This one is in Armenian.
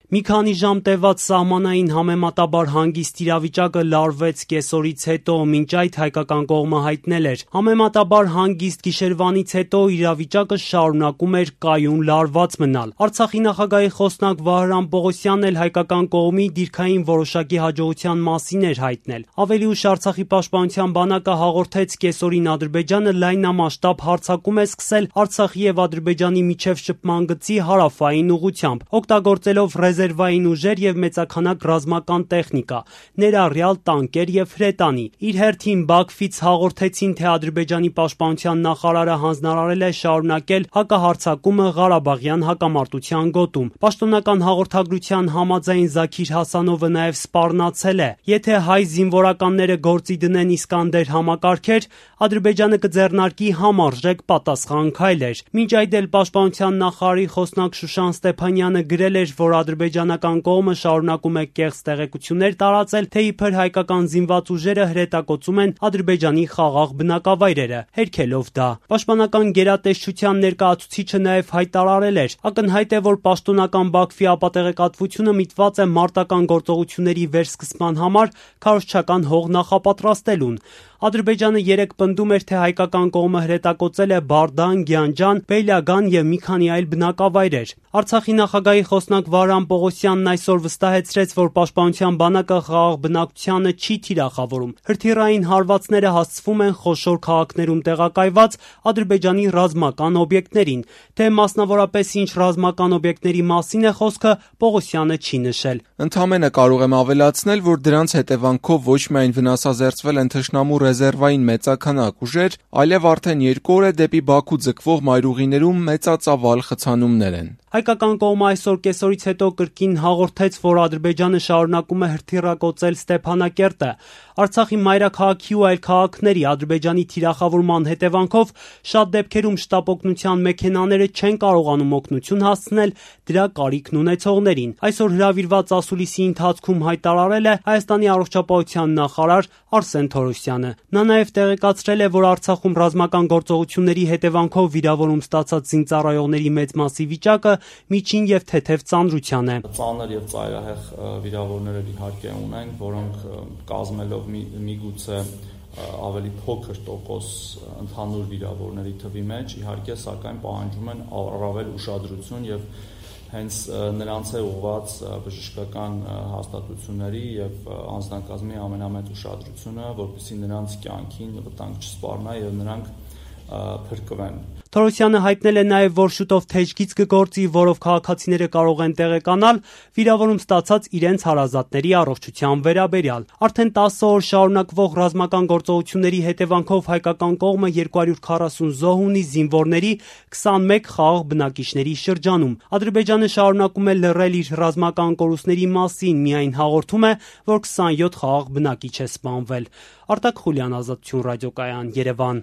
Մի քանի ժամ տևած սահմանային համեմատաբար հանգիստ իրավիճակը լարվեց կեսօրից հետո, մինչ այդ հայկական կողմը հայտնել էր. համեմատաբար հանգիստ գիշերվանից հետո իրավիճակը շարունակում էր կայուն լարված մնալ։ Արցախի նախագահի խոսնակ Վահրամ Պողոսյանն էլ հայկական կողմի դիրքային որոշակի հաջողության մասին էր հայտնել։ Ավելի ուշ Արցախի պաշտպանության բանակը հաղորդեց կեսօրին Ադրբեջանը լայնամասշտաբ հարձակում է սկսել Արցախի եւ Ադրբեջանի միջև շփման գծի հարավային ուղղությամբ, օգտագործելով ռեզերվային ուժեր եւ մեծաքանակ ռազմական տեխնիկա, ներառյալ տանկեր եւ հրետանի։ Իր հերթին Բաքվից հաղորդեցին, թե Ադրբեջանի պաշտպանության նախարարը հանձնարարել է շարունակել հակահարձակումը Ղարաբաղյան հակամարտության գոտում։ Պաշտոնական հաղորդագրության համաձայն Զաքիր Հասանովը նաեւ սպառնացել է. եթե հայ զինվորականները գործի դնեն Իսկանդեր համակարգեր, Ադրբեջանը կձեռնարկի համարժեք պատասխան քայլեր։ Մինչ այդ էլ պաշտպանության նախարարի խոսնակ Շուշան Ստեփանյանը գրել էր, որ ադրբեջանական կողմը շարունակում է կեղծ տեղեկություններ տարածել, թե իբր հայկական զինված ուժերը հրետակոծում են Ադրբեջանի խաղաղ բնակավայրերը, հերքելով դա։ Պաշտպանական գերատեսչության ներկայացուցիչը նաև հայտարարել էր. ակնհայտ է, որ պաշտոնական Բաքվի ապատեղեկատվությունը միտված է մարտական գործողությունների վերսկսման համար քարոզչական հող նախապատրաստելուն։ Ադրբեջանը երեկ պնդում էր, թե հայկական կողմը հրետակոծել է Բարդան, Գյանջան, Բեյլագան եւ մի քանի այլ բնակավայրեր։ Արցախի նախագահի խոսնակ Վահրամ Պողոսյանն այսօր վստահեցրեց, որ պաշտպանության բանակը խաղաղ բնակչությանը չի թիրախավորում։ Հրթիռային հարվածները հասցվում են խոշոր քաղաքներում տեղակայված Ադրբեջանի ռազմական օբյեկտներին, թե մասնավորապես ինչ ռազմական օբյեկտների մասին է խոսքը, Պողոսյանը չի նշել։ Ընդամենը կարող եմ ավելացնել, որ դրանց հետևանքով ոչ միայն վնասազերծվել են թշնամու ռեզերվային մեծաքանակ ուժեր, այլև արդեն 2 օր է դեպի Բաքու ձգվող մայրուղիներում մեծածավալ խցանումներ են։ Հայկական կողմը այսօր կեսօրից հետո կրկին հաղորդեց, որ Ադրբեջանը շարունակում է հրթիռակոծել Ստեփանակերտը։ Արցախի մայրաքաղաքի ու այլ քաղաքների Ադրբեջանի թիրախավորման հետևանքով շատ դեպքերում շտապօգնության մեքենաները չեն կարողանում օգնություն հասցնել դրա կարիքն ունեցողներին։ Այսօր հրավիրված ասուլիսի ընթացքում հայտարարել է Հայաստանի առողջապահության նախարար Արսեն Թորոսյանը։ Նա նաև տեղեկացրել է, որ Արցախում ռազմական գործողությունների հետևանքով վիրավորում ստացած զինծառայողների մեծ մասի վիճակը միջին եւ թեթև ծանրության է։ Ծանր եւ ծայրահեղ վիրավորներ իհարկե ունենք, որոնք կազմելով միգուցե ավելի փոքր տոկոս ընդհանուր վիրավորների թվի մեջ, իհարկե, սակայն պահանջում են առավել ուշադրություն եւ հենց նրանց է ուղղված բժշկական հաստատությունների եւ անձնակազմի ամենամեծ ուշադրությունը, որպեսզի նրանց կյանքին վտանգ չսպառնա եւ նրանք փրկվեն։ Թորոսյանը հայտնել է նաև, որ շուտով թեժգիծ կգործի, որով քաղաքացիները կարող են տեղեկանալ վիրավորում ստացած իրենց հարազատների առողջության վերաբերյալ։ Արդեն 10 օր շարունակվող ռազմական գործողությունների հետևանքով հայկական կողմը 240 զոհ ունի զինվորների 21 խաղաղ բնակիչների շրջանում։ Ադրբեջանը շարունակում է լռել իր ռազմական կորուստների մասին, միայն հաղորդում է, որ 27 խաղաղ բնակիչ է սպանվել։ Արտակ Խուլյան, Ազատություն ռադիոկայան, Երևան։